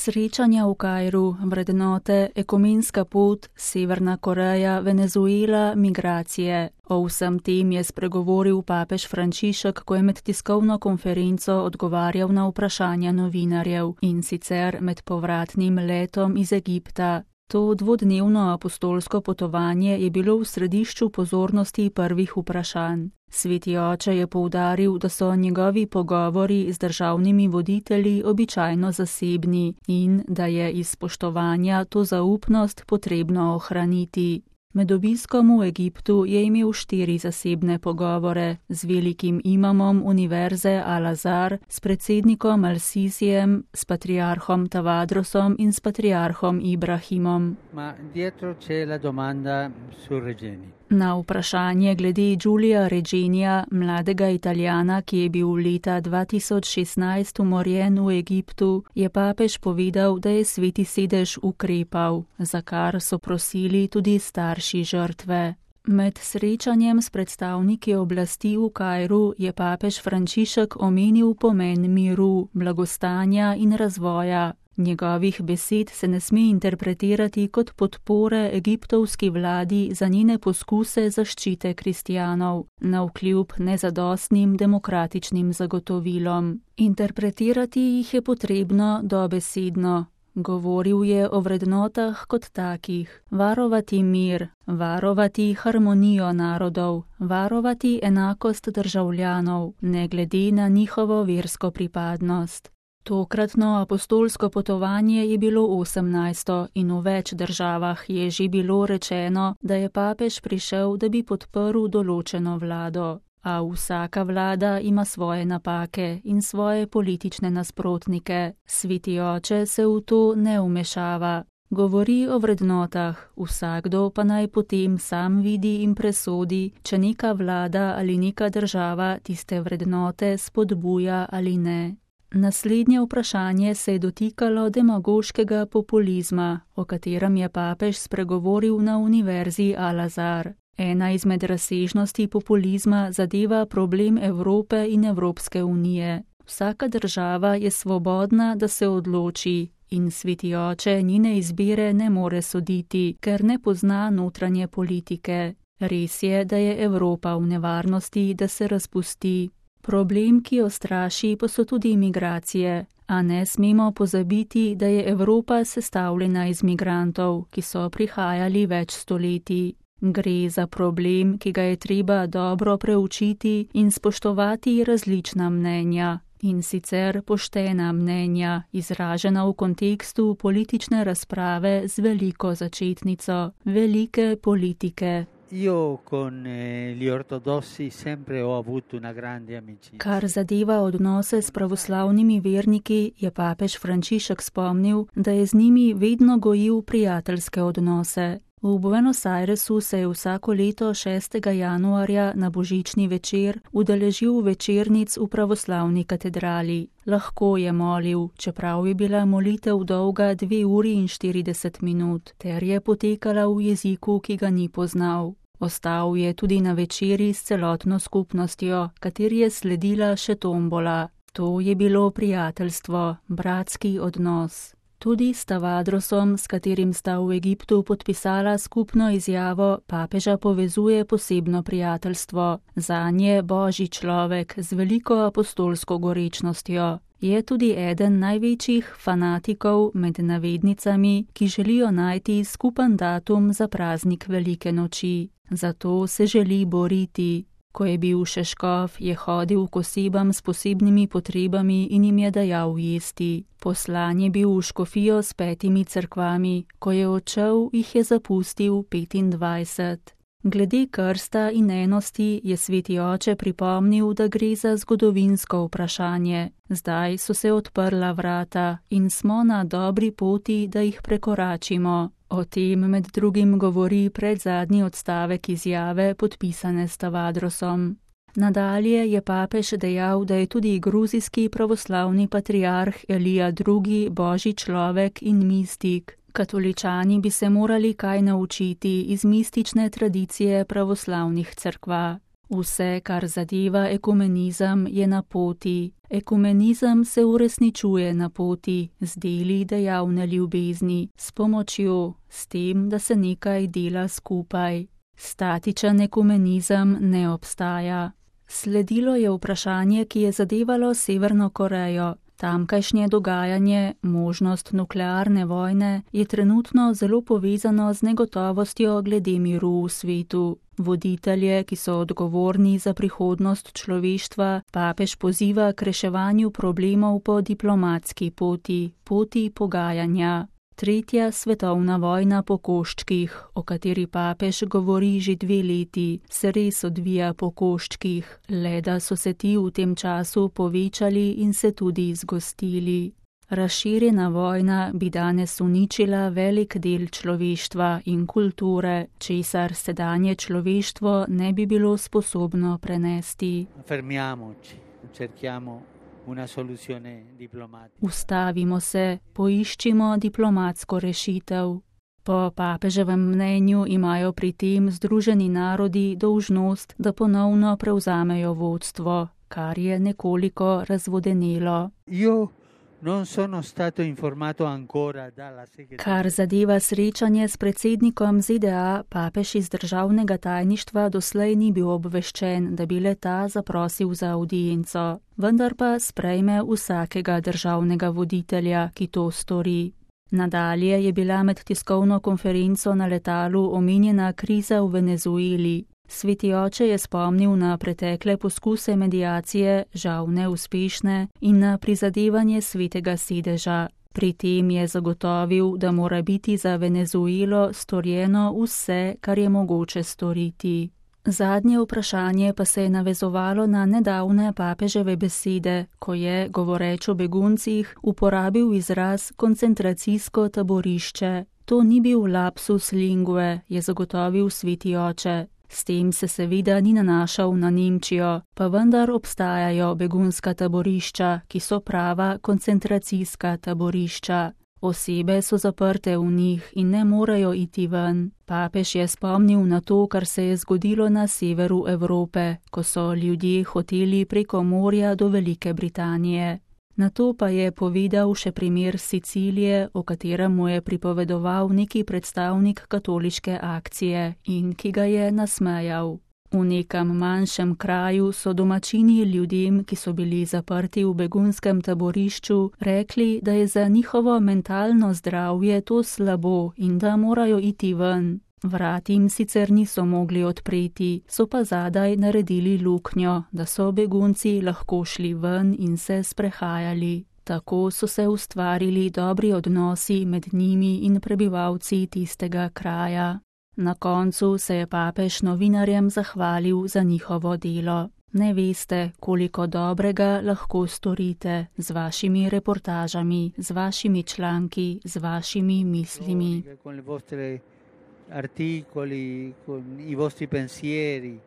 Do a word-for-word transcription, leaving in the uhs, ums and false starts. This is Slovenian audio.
Srečanja v Kairu, vrednote, ekumenska pot, Severna Koreja, Venezuela, migracije. O vsem tem je spregovoril papež Frančišek, ko je med tiskovno konferenco odgovarjal na vprašanja novinarjev, in sicer med povratnim letom iz Egipta. To dvodnevno apostolsko potovanje je bilo v središču pozornosti prvih vprašanj. Sveti oče je poudaril, da so njegovi pogovori z državnimi voditelji običajno zasebni in da je iz spoštovanja to zaupnost potrebno ohraniti. Med obiskom v Egiptu je imel štiri zasebne pogovore z velikim imamom univerze Al-Azhar, s predsednikom Al-Sisijem, s patriarhom Tavadrosom in s patriarhom Ibrahimom. Ma dietro c'è la domanda su Regeni. Na vprašanje glede Giulia Regenija, mladega Italijana, ki je bil leta dva tisoč šestnajst umorjen v Egiptu, je papež povedal, da je Sveti sedež ukrepal, za kar so prosili tudi starši žrtve. Med srečanjem s predstavniki oblasti v Kairu je papež Frančišek omenil pomen miru, blagostanja in razvoja. Njegovih besed se ne sme interpretirati kot podpore egiptovski vladi za njene poskuse zaščite kristjanov, navkljub nezadostnim demokratičnim zagotovilom. Interpretirati jih je potrebno dobesedno. Govoril je o vrednotah kot takih: varovati mir, varovati harmonijo narodov, varovati enakost državljanov, ne glede na njihovo versko pripadnost. Tokratno apostolsko potovanje je bilo osemnajsto in v več državah je že bilo rečeno, da je papež prišel, da bi podprl določeno vlado. A vsaka vlada ima svoje napake in svoje politične nasprotnike. Sveti oče se v to ne vmešava. Govori o vrednotah, vsakdo pa naj potem sam vidi in presodi, če neka vlada ali neka država tiste vrednote spodbuja ali ne. Naslednje vprašanje se je dotikalo demagoškega populizma, o katerem je papež spregovoril na univerzi Al-Azhar. Ena izmed razsežnosti populizma zadeva problem Evrope in Evropske unije. Vsaka država je svobodna, da se odloči, in Sveti oče njene izbire ne more soditi, ker ne pozna notranje politike. Res je, da je Evropa v nevarnosti, da se razpusti. Problem, ki jo straši, pa so tudi migracije, a ne smemo pozabiti, da je Evropa sestavljena iz migrantov, ki so prihajali več stoletij. Gre za problem, ki ga je treba dobro preučiti in spoštovati različna mnenja, in sicer poštena mnenja, izražena v kontekstu politične razprave z veliko začetnico, velike politike. Io con gli ortodossi sempre ho avuto una grande amicizia. Kar zadeva odnose s pravoslavnimi verniki, je papež Frančišek spomnil, da je z njimi vedno gojil prijateljske odnose. V Buenos Airesu se je vsako leto šestega januarja na božični večer udeležil večernic v pravoslavni katedrali. Lahko je molil, čeprav je bila molitev dolga dve uri in štirideset minut, ter je potekala v jeziku, ki ga ni poznal. Ostal je tudi na večeri s celotno skupnostjo, kateri je sledila še tombola. To je bilo prijateljstvo, bratski odnos. Tudi s Tavadrosom, s katerim sta v Egiptu podpisala skupno izjavo, papeža povezuje posebno prijateljstvo. Zanje božji človek z veliko apostolsko gorečnostjo. Je tudi eden največjih fanatikov med navednicami, ki želijo najti skupen datum za praznik Velike noči. Zato se želi boriti. Ko je bil še škof, je hodil k osebam s posebnimi potrebami in jim je dajal jesti. Poslan je bil v škofijo s petimi cerkvami, ko je odšel, jih je zapustil petindvajset. Glede krsta in enosti je Sveti oče pripomnil, da gre za zgodovinsko vprašanje. Zdaj so se odprla vrata in smo na dobri poti, da jih prekoračimo. O tem med drugim govori predzadnji odstavek izjave, podpisane s Tavadrosom. Nadalje je papež dejal, da je tudi gruzijski pravoslavni patriarh Elija drugi božji človek in mistik. Katoličani bi se morali kaj naučiti iz mistične tradicije pravoslavnih cerkva. Vse, kar zadeva ekumenizem, je na poti. Ekumenizem se uresničuje na poti z deli dejavne ljubezni, s pomočjo, s tem, da se nekaj dela skupaj. Statičen ekumenizem ne obstaja. Sledilo je vprašanje, ki je zadevalo Severno Korejo. Tamkajšnje dogajanje, možnost nuklearne vojne, je trenutno zelo povezano z negotovostjo glede miru v svetu. Voditelje, ki so odgovorni za prihodnost človeštva, papež poziva k reševanju problemov po diplomatski poti, poti pogajanja. Tretja svetovna vojna po koščkih, o kateri papež govori že dve leti, se res odvija po koščkih, le da so se ti v tem času povečali in se tudi zgostili. Razširjena vojna bi danes uničila velik del človeštva in kulture, česar sedanje človeštvo ne bi bilo sposobno prenesti. Fermiamoci, cerchiamo una soluzione diplomatica. Ustavimo se, poiščimo diplomatsko rešitev. Po papeževem mnenju imajo pri tem Združeni narodi dolžnost, da ponovno prevzamejo vodstvo, kar je nekoliko razvodenelo. Io non sono stato informato ancora dalla segretaria. Kar zadeva srečanje s predsednikom Z D A, papež iz državnega tajništva doslej ni bil obveščen, da bi le-ta zaprosil za avdienco, vendar pa sprejme vsakega državnega voditelja, ki to stori. Nadalje je bila med tiskovno konferenco na letalu omenjena kriza v Venezueli. Sveti oče je spomnil na pretekle poskuse mediacije, žal neuspešne, in na prizadevanje svetega sedeža. Pri tem je zagotovil, da mora biti za Venezuelo storjeno vse, kar je mogoče storiti. Zadnje vprašanje pa se je navezovalo na nedavne papeževe besede, ko je, govoreč o beguncih, uporabil izraz koncentracijsko taborišče. To ni bil lapsus lingue, je zagotovil sveti oče. S tem se seveda ni nanašal na Nemčijo, pa vendar obstajajo begunska taborišča, ki so prava koncentracijska taborišča. Osebe so zaprte v njih in ne morejo iti ven. Papež je spomnil na to, kar se je zgodilo na severu Evrope, ko so ljudje hoteli preko morja do Velike Britanije. Na to pa je povedal še primer Sicilije, o katerem mu je pripovedoval neki predstavnik katoliške akcije in ki ga je nasmejal. V nekem manjšem kraju so domačini ljudem, ki so bili zaprti v begunskem taborišču, rekli, da je za njihovo mentalno zdravje to slabo in da morajo iti ven. Vrat jim sicer niso mogli odpreti, so pa zadaj naredili luknjo, da so begunci lahko šli ven in se sprehajali. Tako so se ustvarili dobri odnosi med njimi in prebivalci tistega kraja. Na koncu se je papež novinarjem zahvalil za njihovo delo. Ne veste, koliko dobrega lahko storite z vašimi reportažami, z vašimi članki, z vašimi mislimi. Articoli, con i vostri pensieri.